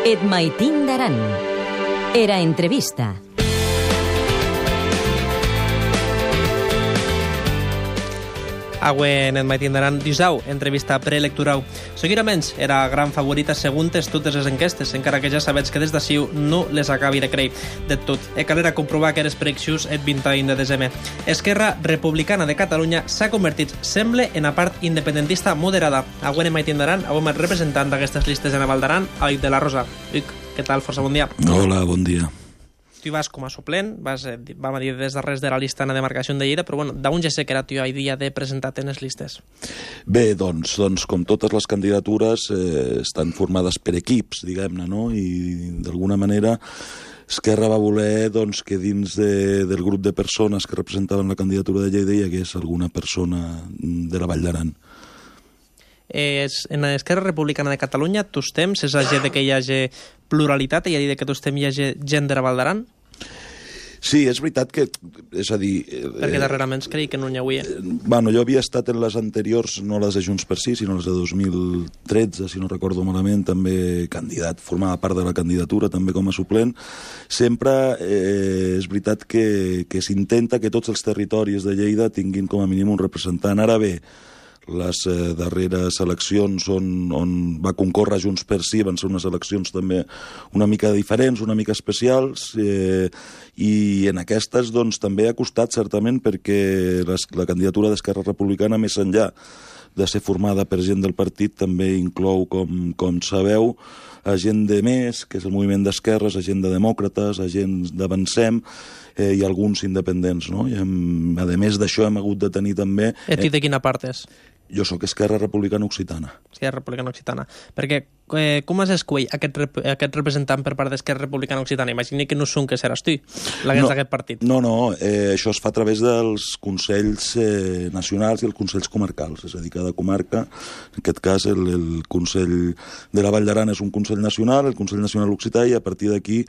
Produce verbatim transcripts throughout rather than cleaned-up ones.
Et maitin d'aran. Era entrevista. Avui en el maitin d'aran dijau, entrevista preelectoral. Seguidament era gran favorita segons totes les enquestes, encara que ja sabets que des d'ací no les acabi de creure de tot. E calera comprovar que eres preeleccions el vint-i-u de desembre. Esquerra Republicana de Catalunya s'ha convertit, sembla, en la part independentista moderada. Avui en el maitin d'aran, avui el representant d'aquestes listes en Val d'Aran, Amic de la Rosa. Vic, què tal? Força bon dia. Hola, bon dia. Tu vas com a suplent, vas, eh, vam a dir des darrers de la llista en la demarcació de Lleida, però bueno, d'on ja sé que era tu el dia de presentar-te en les listes? Bé, doncs, doncs com totes les candidatures eh, estan formades per equips, diguem-ne, no? I d'alguna manera Esquerra va voler doncs, que dins de, del grup de persones que representaven la candidatura de Lleida hi hagués alguna persona de la Vall d'Aran. Eh, en l'Esquerra Republicana de Catalunya, tu temps, és a dir que hi hagi pluralitat, i a dir que tu temps hi hagi gent de la Val d'Aran? Sí, és veritat que, és a dir... Eh, Perquè darrerament creia que no n'hi havia. Eh, bueno, jo havia estat en les anteriors, no les de Junts per Sí, sinó les de dos mil tretze, si no recordo malament, també candidat, formava part de la candidatura, també com a suplent. Sempre eh, és veritat que, que s'intenta que tots els territoris de Lleida tinguin com a mínim un representant. Ara bé, les eh, darreres eleccions on, on va concórrer Junts per Sí van ser unes eleccions també una mica diferents, una mica especials, eh, i en aquestes doncs, també ha costat certament perquè les, la candidatura d'Esquerra Republicana, més enllà de ser formada per gent del partit, també inclou, com, com sabeu, a gent de Més, que és el moviment d'esquerres, a gent de demòcrates, a gent d'Avancem, eh, i alguns independents, no? I hem, a més d'això hem hagut de tenir també... I tu de quina part és? Jo sóc Esquerra Republicana Occitana. Esquerra Republicana Occitana. Perquè eh, com has escollit aquest, rep aquest representant per part d'Esquerra Republicana Occitana? Imagina que no són que seràs tu, l'hagués no, d'aquest partit. No, no, eh, això es fa a través dels consells eh, nacionals i els consells comarcals. És a dir, cada comarca, en aquest cas el, el Consell de la Vall d'Aran és un consell nacional, el Consell Nacional Occità, i a partir d'aquí,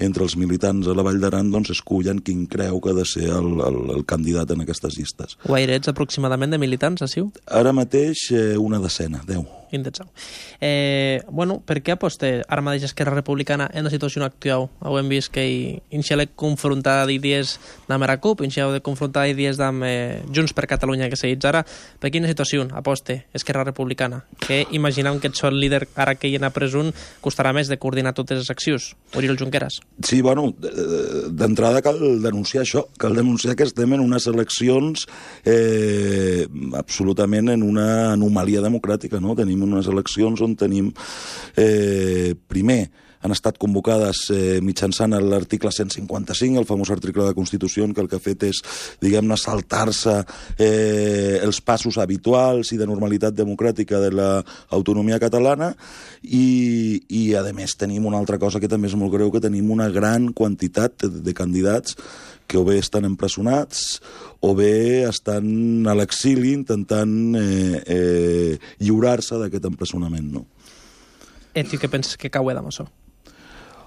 entre els militants de la Vall d'Aran, doncs escullen quin creu que ha de ser el, el, el candidat en aquestes llistes. Guaire ets aproximadament de militants, així? Ara mateix eh, una decena, deu. Eh, bueno, per què aposta ara mateix Esquerra Republicana en la situació actual? Ho hem vist que inicial de confrontar idees amb la CUP, inicial de confrontar idees amb eh, Junts per Catalunya, que seguits ara. Per quina situació aposta Esquerra Republicana? Que imaginam que ets el líder ara que hi ha a presó costarà més de coordinar totes les accions. Oriol Junqueras. Sí, bueno, d'entrada cal denunciar això, cal denunciar que estem en unes eleccions eh, absolutament en una anomalia democràtica, no? Tenim unes eleccions on tenim, eh, primer, han estat convocades eh, mitjançant l'article cent cinquanta-cinc, el famós article de la Constitució, que el que ha fet és, diguem-ne, saltar-se eh, els passos habituals i de normalitat democràtica de l'autonomia catalana, i, i a més tenim una altra cosa que també és molt greu, que tenim una gran quantitat de, de candidats que o bé estan empresonats o bé estan a l'exili intentant eh, eh, lliurar-se d'aquest empresonament, no? I tu què penses que cau amb això?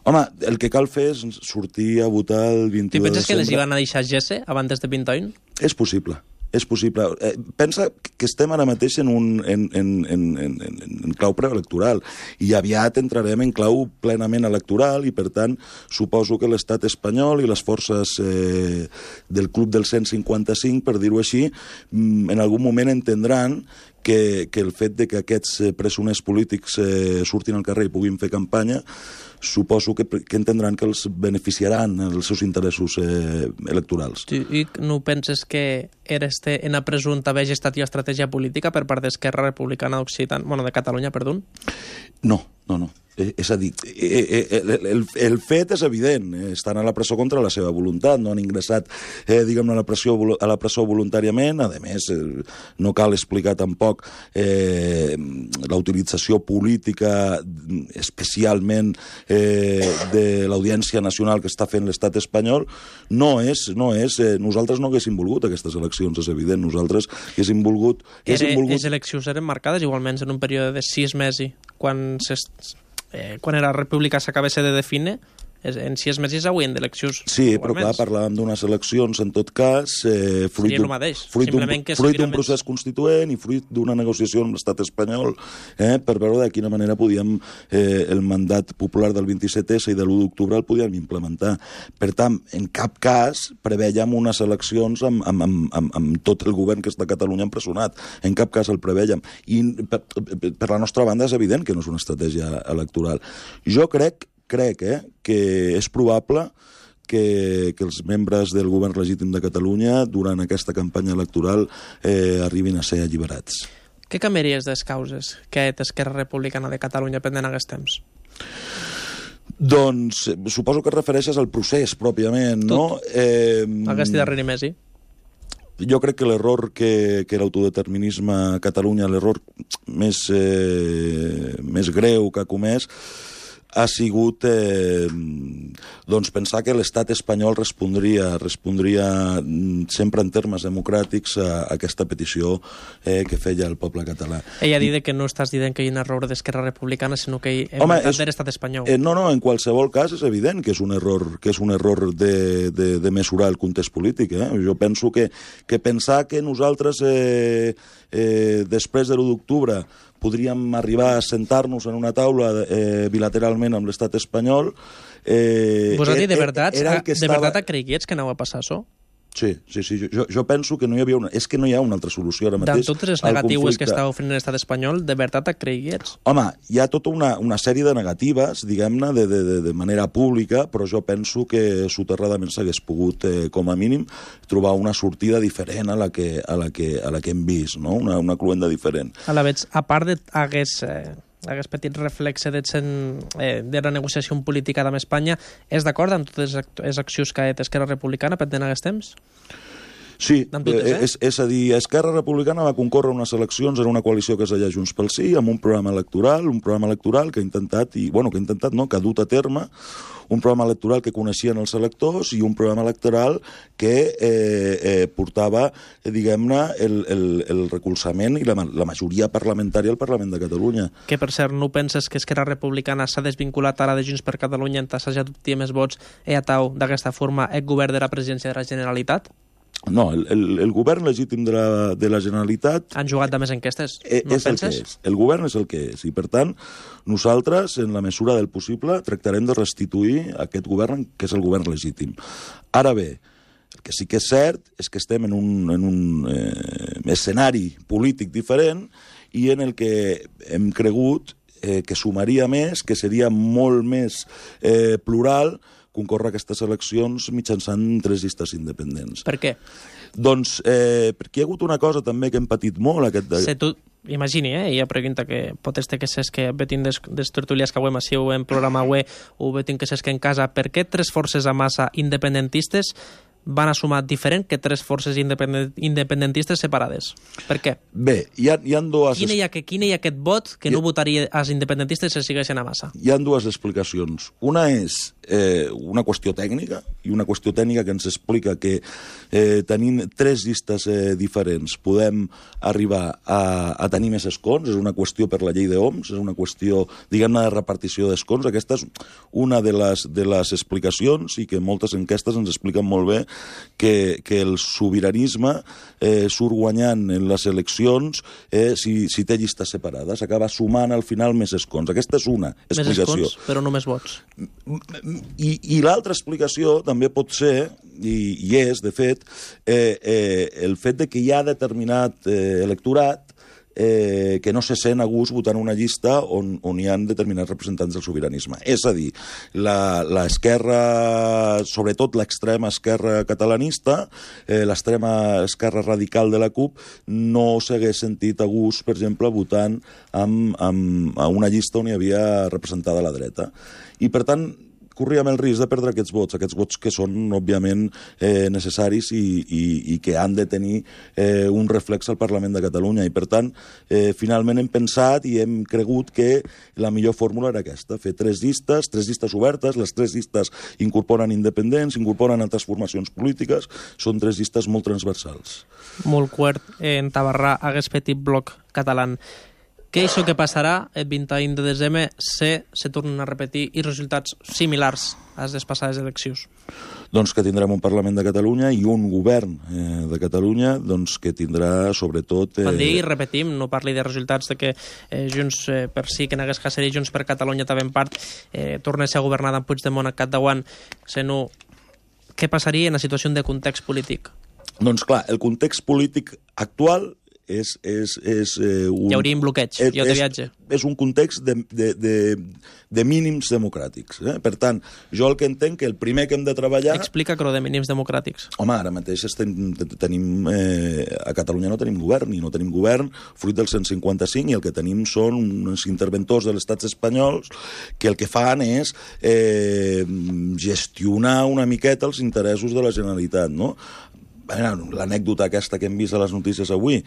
Home, el que cal fer és sortir a votar el vint-i-u de desembre. Tu penses que les hi van a deixar Gese abans de vint-i-u? És possible. És possible. Eh, pensa que estem ara mateix en, un, en, en, en, en, en clau preelectoral i aviat entrarem en clau plenament electoral i, per tant, suposo que l'estat espanyol i les forces eh, del club del cent cinquanta-cinc, per dir-ho així, en algun moment entendran que, que el fet de que aquests presoners polítics eh, surtin al carrer i puguin fer campanya, suposo que, que entendran que els beneficiaran els seus interessos eh, electorals. Tu no penses que eres en la presó on havia estat estratègia política per part d'Esquerra Republicana d'Occitània, bueno, de Catalunya, perdó? No, no, no. Eh, és a dir, eh, eh, el, el fet és evident, eh, estan a la presó contra la seva voluntat, no han ingressat eh, diguem-ne, a la presó, a la presó voluntàriament. A més, eh, no cal explicar tampoc eh, la utilització política, especialment eh, de l'Audiència Nacional que està fent l'estat espanyol. No és, no és, eh, nosaltres no haguéssim volgut aquestes eleccions, és evident, nosaltres haguéssim volgut... Haguéssim volgut... Les eleccions eren marcades igualment en un període de sis mesos, quan s'est... Eh, quan la república s'acabés de definir, en sis mesos haurien d'eleccions. Sí, però clar, parlàvem d'unes eleccions, en tot cas, eh, fruit d'un procés constituent i fruit d'una negociació amb l'estat espanyol, eh, per veure de quina manera podíem, eh, el mandat popular del vint-i-set essa i de l'u d'octubre el podíem implementar. Per tant, en cap cas preveiem unes eleccions amb, amb, amb, amb, amb tot el govern que està a Catalunya empresonat. En cap cas el preveiem. I per, per la nostra banda és evident que no és una estratègia electoral. Jo crec, crec eh, que és probable que, que els membres del govern legítim de Catalunya durant aquesta campanya electoral eh, arribin a ser alliberats. Què canviaries de les causes que Esquerra Republicana de Catalunya pendent aquests temps? Doncs suposo que et refereixes al procés pròpiament, no? Eh, Aquesta darrere Messi. Jo crec que l'error que, que l'autodeterminisme a Catalunya, l'error més, eh, més greu que ha comès, ha sigut eh, doncs pensar que l'estat espanyol respondria, respondria sempre en termes democràtics a, a aquesta petició eh, que feia el poble català. Ella ha dit que no estàs dient que hi ha un error d'Esquerra Republicana, sinó que hi ha un de l'estat espanyol. Eh, no, no, en qualsevol cas és evident que és un error, que és un error de, de, de mesurar el context polític. Eh? Jo penso que, que pensar que nosaltres eh, eh, després de l'u d'octubre podríem arribar a sentar-nos en una taula eh, bilateralment amb l'estat espanyol. Eh, Vos ha dit de veritat, era de estava... veritat creguies que anava a passar això? Sí, sí, sí. Jo, jo penso que no hi havia una... És que no hi ha una altra solució ara mateix. De totes les negatives que està oferint l'estat espanyol, de veritat et creguies? Home, hi ha tota una, una sèrie de negatives, diguem-ne, de, de, de, de manera pública, però jo penso que soterradament s'hagués pogut, eh, com a mínim, trobar una sortida diferent a la que, a la que, a la que hem vist, no? Una, una cluenda diferent. A la veig, a part de hagués... Eh... aquest petit reflexe de, eh, de la negociació política amb Espanya, és d'acord amb totes les accions que ha fet Esquerra Republicana pendent aquests temps? Sí, totes, eh? és, és a dir, Esquerra Republicana va concórrer unes eleccions en una coalició que es deia Junts pel Sí, amb un programa electoral, un programa electoral que ha intentat, i, bueno, que ha intentat, no, que ha dut a terme, un programa electoral que coneixien els electors i un programa electoral que eh, eh, portava, eh, diguem-ne, el, el, el recolzament i la, la majoria parlamentària al Parlament de Catalunya. Que, per cert, no penses que Esquerra Republicana s'ha desvinculat ara de Junts per Catalunya en tassejar d'obtenir més vots e atau d'aquesta forma el govern de la presidència de la Generalitat? No, el, el, el govern legítim de la, de la Generalitat... Han jugat de més enquestes, no és penses? El que és. El govern és el que és, i per tant, nosaltres, en la mesura del possible, tractarem de restituir aquest govern que és el govern legítim. Ara bé, el que sí que és cert és que estem en un, en un eh, escenari polític diferent i en el que hem cregut eh, que sumaria més, que seria molt més eh, plural, concórrer aquestes eleccions mitjançant tres llistes independents. Per què? Doncs eh, perquè hi ha hagut una cosa també que hem patit molt. Aquest de... Se tu, imagini, eh, ella pregunta que pot este que ses que vetin des, des tertulias que avui massiu en programa avui o vetin que ses que en casa, per què tres forces a massa independentistes van a sumar diferent que tres forces independent, independentistes separades? Per què? Bé, hi ha, hi ha dues... Quin hi ha, que, quin hi ha aquest vot que no ha... votaria als independentistes si siguessin a massa? Hi ha dues explicacions. Una és eh, una qüestió tècnica, i una qüestió tècnica que ens explica que eh, tenint tres llistes eh, diferents podem arribar a, a tenir més escons, és una qüestió per la llei d'Oms, és una qüestió, diguem-ne, de repartició d'escons. Aquesta és una de les, de les explicacions i que moltes enquestes ens expliquen molt bé que, que el sobiranisme eh, surt guanyant en les eleccions eh, si, si té llistes separades, acaba sumant al final més escons. Aquesta és una explicació. Més escons, però no més vots. I, i l'altra explicació també pot ser, i, i és, de fet, eh, eh, el fet de que hi ha determinat eh, electorat Eh, que no se sent a gust votant una llista on, on hi ha determinats representants del sobiranisme. És a dir, l'esquerra, sobretot l'extrema esquerra catalanista, eh, l'extrema esquerra radical de la CUP, no s'hagués sentit a gust, per exemple, votant amb, amb, a una llista on hi havia representada la dreta. I, per tant, corríem el risc de perdre aquests vots, aquests vots que són, òbviament, eh, necessaris i, i, i que han de tenir eh, un reflex al Parlament de Catalunya. I, per tant, eh, finalment hem pensat i hem cregut que la millor fórmula era aquesta, fer tres llistes, tres llistes obertes, les tres llistes incorporen independents, incorporen altres formacions polítiques, són tres llistes molt transversals. Molt quart, eh, en Tabarrà hagués petit bloc català. Què és el que passarà el vint-i-u de desembre si se tornen a repetir i resultats similars a les passades eleccions? Doncs que tindrem un Parlament de Catalunya i un govern eh, de Catalunya doncs, que tindrà, sobretot... Eh... Quan digui, repetim, no parli de resultats de que eh, Junts eh, per sí, que n'hagués Cacer i Junts per Catalunya també en part eh, tornés a governar amb Puigdemont a capdavant, sinó què passaria en la situació de context polític? Doncs clar, el context polític actual és... és, és eh, un, Hi hauria un bloqueig, és, jo de viatge. És, és un context de, de, de, de mínims democràtics. Eh? Per tant, jo el que entenc que el primer que hem de treballar... Explica que de mínims democràtics. Home, ara mateix estem, tenim... Eh, a Catalunya no tenim govern, i no tenim govern fruit del cent cinquanta cinc, i el que tenim són uns interventors de l'estat espanyols que el que fan és eh, gestionar una miqueta els interessos de la Generalitat, no? L'anècdota aquesta que hem vist a les notícies avui,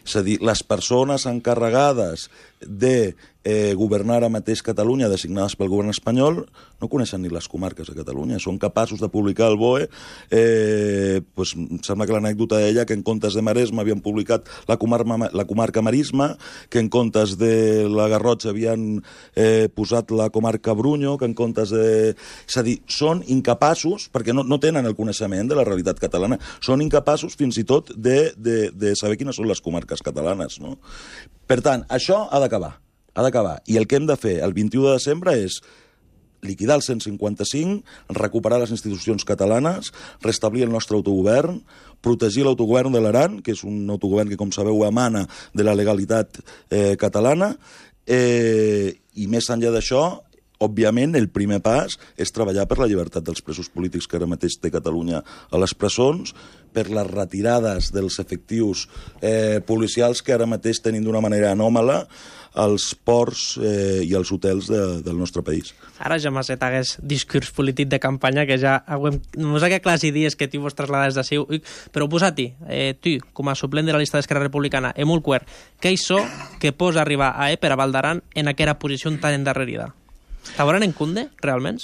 és a dir, les persones encarregades de eh, governar ara mateix Catalunya, designades pel govern espanyol, no coneixen ni les comarques de Catalunya, són capaços de publicar al B O E, eh, pues, em sembla que l'anècdota deia que en comptes de Maresme havien publicat la comarca, la comarca Marisma, que en comptes de la Garrotxa havien eh, posat la comarca Brunyo, que en comptes de... És a dir, són incapaços, perquè no, no tenen el coneixement de la realitat catalana, són incapaços fins i tot de, de, de saber quines són les comarques catalanes, no? Per tant, això ha d'acabar, ha d'acabar. I el que hem de fer el vint-i-u de desembre és liquidar el cent cinquanta cinc, recuperar les institucions catalanes, restablir el nostre autogovern, protegir l'autogovern de l'Aran, que és un autogovern que, com sabeu, emana de la legalitat eh, catalana, eh, i més enllà d'això, òbviament, el primer pas és treballar per la llibertat dels presos polítics que ara mateix té Catalunya a les presons, per les retirades dels efectius eh, policials que ara mateix tenim d'una manera anòmala als ports eh, i als hotels de, del nostre país. Ara ja m'has fet aquest discurs polític de campanya que ja hem... no sé què classe dies que tu vos traslades de seu, però posat-hi, eh, tu, com a suplent de la llista d'Esquerra Republicana, en molt quer, què és això que pots arribar a per a Valdaran en aquella posició tan endarrerida? T'hauran en Cunde, realment?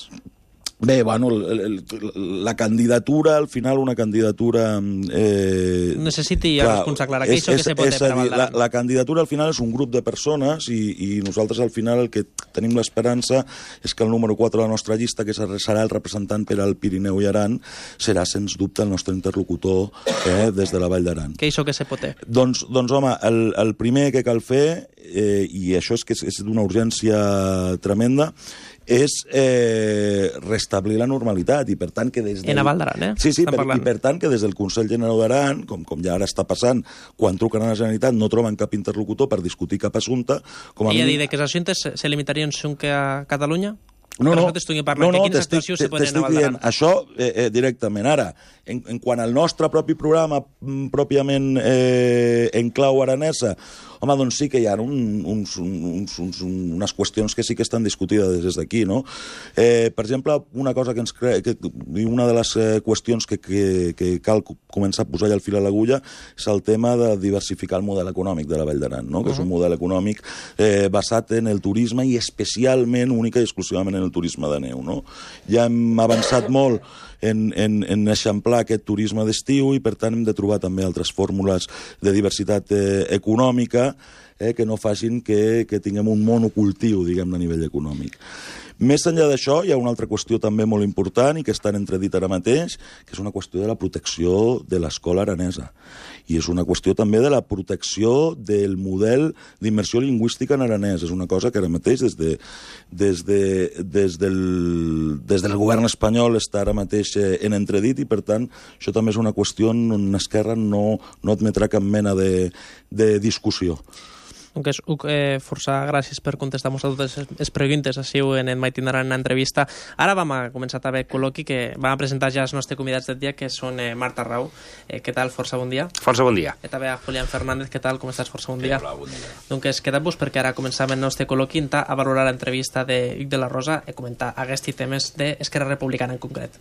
Bé, bueno, el, el, la candidatura, al final una candidatura... Eh, Necessiti ja responsaclar què és això que se pot fer per a Valdaran. La, la candidatura al final és un grup de persones i, i nosaltres al final el que tenim l'esperança és que el número quatre de la nostra llista, que serà el representant per al Pirineu i Aran, serà sens dubte el nostre interlocutor eh, des de la Vall d'Aran. Què és això que se pot fer? Doncs, doncs home, el, el primer que cal fer, eh, i això és que és, és d'una urgència tremenda, és eh, restablir la normalitat i per tant que des del... En a Vall d'Aran, eh? Sí, sí, per, i per tant que des del Consell General d'Aran, com, com ja ara està passant, quan truquen a la Generalitat no troben cap interlocutor per discutir cap assumpte... Com a I a mínim... dir que els assumptes se limitarien que a Catalunya? No, no, no, no, t'estic dient això eh, eh, directament. Ara, en, en quant al nostre propi programa pròpiament eh, en clau aranesa, home, doncs sí que hi ha un, uns, uns, uns, unes qüestions que sí que estan discutides des d'aquí, no? Eh, per exemple, una cosa que ens crea, que, una de les eh, qüestions que, que, que cal començar a posar ja el fil a l'agulla és el tema de diversificar el model econòmic de la Vall d'Aran, no? Que uh-huh. és un model econòmic eh, basat en el turisme i especialment, única i exclusivament en el turisme de neu, no? Ja hem avançat molt en, en, en eixamplar aquest turisme d'estiu i per tant hem de trobar també altres fórmules de diversitat eh, econòmica eh, que no facin que, que tinguem un monocultiu, diguem, a nivell econòmic. Més enllà d'això, hi ha una altra qüestió també molt important i que està en entredit ara mateix, que és una qüestió de la protecció de l'escola aranesa. I és una qüestió també de la protecció del model d'immersió lingüística en aranès. És una cosa que ara mateix des, de, des, de, des, del, des del govern espanyol està ara mateix en entredit i, per tant, això també és una qüestió on Esquerra no, no admetrà cap mena de, de discussió. Doncs, Uc, eh, força gràcies per contestar-nos a totes les preguntes així en el Maitinaran en entrevista. Ara vam a començar també el col·loqui que vam a presentar ja els nostres convidats del dia, que són eh, Marta Rau. Eh, què tal? Força bon dia. Força bon dia. I també a Julián Fernández. Què tal? Com estàs? Força bon dia. Hola, bon dia. Doncs quedem-vos perquè ara començam el nostre col·loqui a valorar l'entrevista de Hugues de la Rosa i comentar aquests temes d'Esquerra Republicana en concret.